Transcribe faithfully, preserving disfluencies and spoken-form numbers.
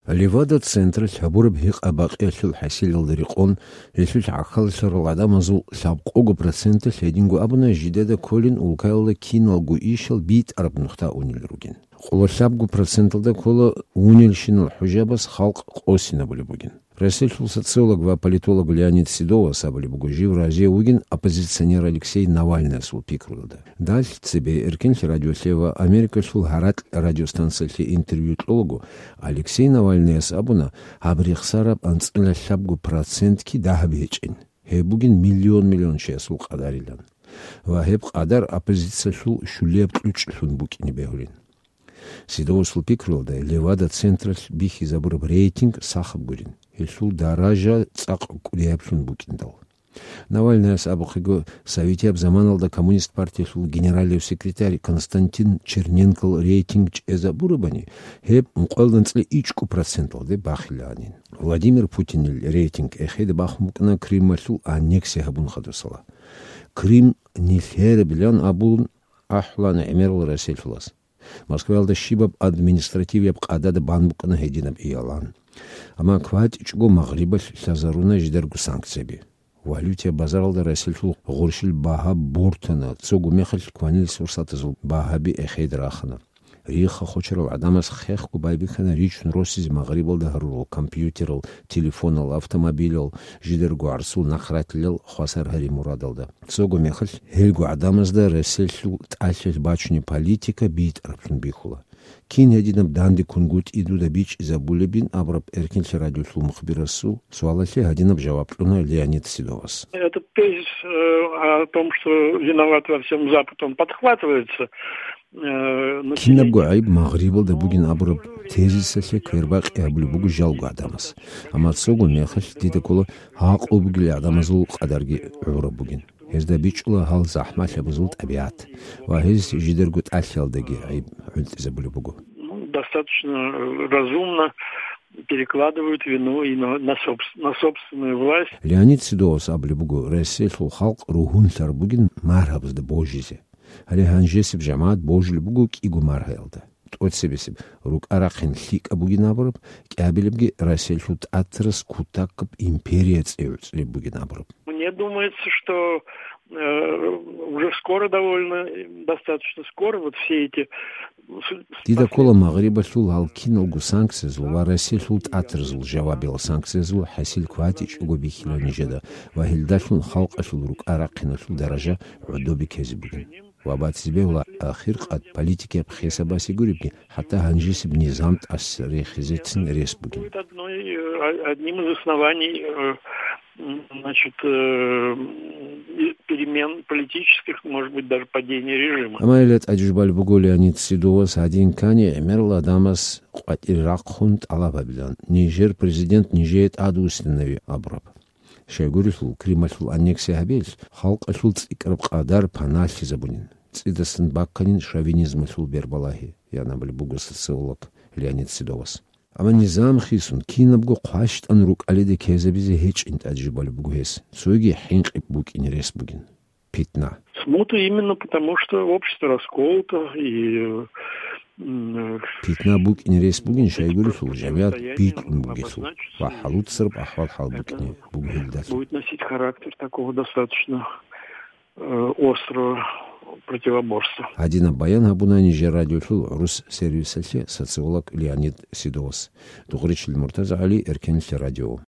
Левада-централъ гьабураб гьикъа-бакъиялъул хӀасилалда рекъон, гьелъулъ гӀахьаллъарал гӀадамазул лъабкъого проценталъ гьединго абуна жидеда кколин улкаялда киналго ишал битӀараб нухда унел ругин. Къоло лъабго проценталда ккола унелщинал хӀужабаз халкъ къосинабулеб бугин. Россиялъул социолог ва политолог Леонид Седовас абулеб буго жив разияв вугин оппозиционер Алексей Навальныясул пикруялда. Далъ цебе Эркенлъи радиолъе ва Америкалъул гьаракь радиостанциялъе интервью кьолаго, Алексей Навальныяс абуна, гьаб рехсараб анцӀила лъабго процентги дагьаб гьечӀин. Гьеб бугин миллион-миллион чиясул къадарилан. Ва гьеб къадар оппозициялъул щулияб кьучӀлъун букӀине бегьулин. Седовасул пикруялда, Левада-централъ бихьизабураб рейтинг сахаб гурин, гьелъул даража цӀакъ кӀудияблъун букӀиндал. Навальныяс абухъего, советияб заманалда Коммунист партиялъул генералив секретарь Константин Черненкол рейтинг чӀезабурабани, гьеб ункъоялда анцӀила ичӀго проценталде бахилаанин. Владимир Путинил рейтинг эхеде бахун букӀана Крымалъул аннексия гьабун хадусала. Крым нилъерабилан абун ахӀулана гӀемерал Россиялъулас. Москваялда щибаб административияб къадада бан букӀана гьединаб иялан. Амма кватӀичӀого Магърибалъ лъазаруна жидерго санкцияби. Валютияб базаралда Россиялъул гъурщил багьа бортана, цого мехалъ кванилис фурсатазул багьаби эхеде рахана. Рихха-хочарал гӀадамаз хехго байбихьана ричун росизе Магърибалда гьарурал компьютерал, телефонал, автомобилал, жидерго гӀарсул нахъратилал хвасар гьари мурадалда. Цого мехалъ гьелго гӀадамазда Россиялъул тӀалъилъ бачунеб политика битӀараблъун бихьула. Кин гьединаб данде кунгутӀи дуда бичӀчӀизабулебин абураб Эркенлъи радиолъул мухбирасул суалалъе гьадинаб жаваб кьуна Леонид Седовас. Этот тезис, э, о том, что виноват во всем Запад, он подхватывается, э, но Кинабго гӀайиб Магърибалда бугин абураб тезисалъе квербакъи гьабулеб буго жалго гӀадамаз. Амма цого мехалъ дида ккола гьакъу бугел гӀадамазул къадарги гӀураб бугин. Гьезда бичӀчӀула гьал захӀмалъабазул тӀабигӀат ва гьез жидерго тӀалъиялдаги гӀайиб гӀунтӀизабулеб буго. Ну, достаточно, э, разумно перекладывают вину и на, на собс-, на собственную власть. Леонид Седовас абулеб буго, Россиялъул халкъ ругьунлъараб бугин маргьабазда божизе. Гьале гьанжесеб жамагӀат божулеб буго кӀиго маргьаялда. ТӀоцебесеб рукӀа-рахъин лъикӀаб бугин абураб, кӀиабилебги Россиялъул тӀатарас кутакаб империя цӀи гӀуцӀулеб бугин абураб. Мне думается, что, э, уже скоро довольно, э, достаточно скоро вот все эти с-, Дида ккола Магърибалъул гьал киналго санкциязул ва Россиялъул тӀатарзул жавабиял санкциязул хӀасил кватӀичӀого бихьила нижеда ва гьелдалъун халкъалъул рукӀа-рахъиналъул даража гӀодобе ккезе бугин. Ва батизе бегьула ахиркъад политикияб хесабасе гуребги, хӀатта гьанжесеб низам тӀаса рехизецин рес бугин. Будет одной, э, одним из оснований, э, м, значит, э, м, и перемен политических, может быть, даже падения режима. Амма гьеле тӀаде жубалеб буго Леонид Седовас гьадин ккани гӀемерал гӀадамаз къватӀир рахъун тӀалаб гьабилан, нижер президент нижее тӀадвуссинави абураб. Щайгурелъул, Крымалъул аннексия гьабиялъ халкъалъул цӀикӀкӀараб къадар паналъизабунин, цӀидасан бакканин шовинизмалъул бербалагьи, ян абулеб буго социолог Леонид Седовас. Амма низам хисун, кинабго хъващтӀан рукӀалиде ккезабизе гьечӀин тӀаде жубалеб буго гьес, цоги хӀинкъи букӀине рес бугин. Питна. Смута именно потому, что общество расколото и, м, Питна букӀине рес бугин, щайгурелъул жамигӀат битӀун бугелъул ва хӀалуцараб ахӀвал-хӀал букӀине буго гьелдалъун. Будет носить характер такого достаточно, э, острого противоборства. Гьадинаб баян гьабуна нижер радиолъул гӀурус сервисалъе социолог Леонид Седовас. Дугъричил МуртазагӀали, Эркенлъи радио.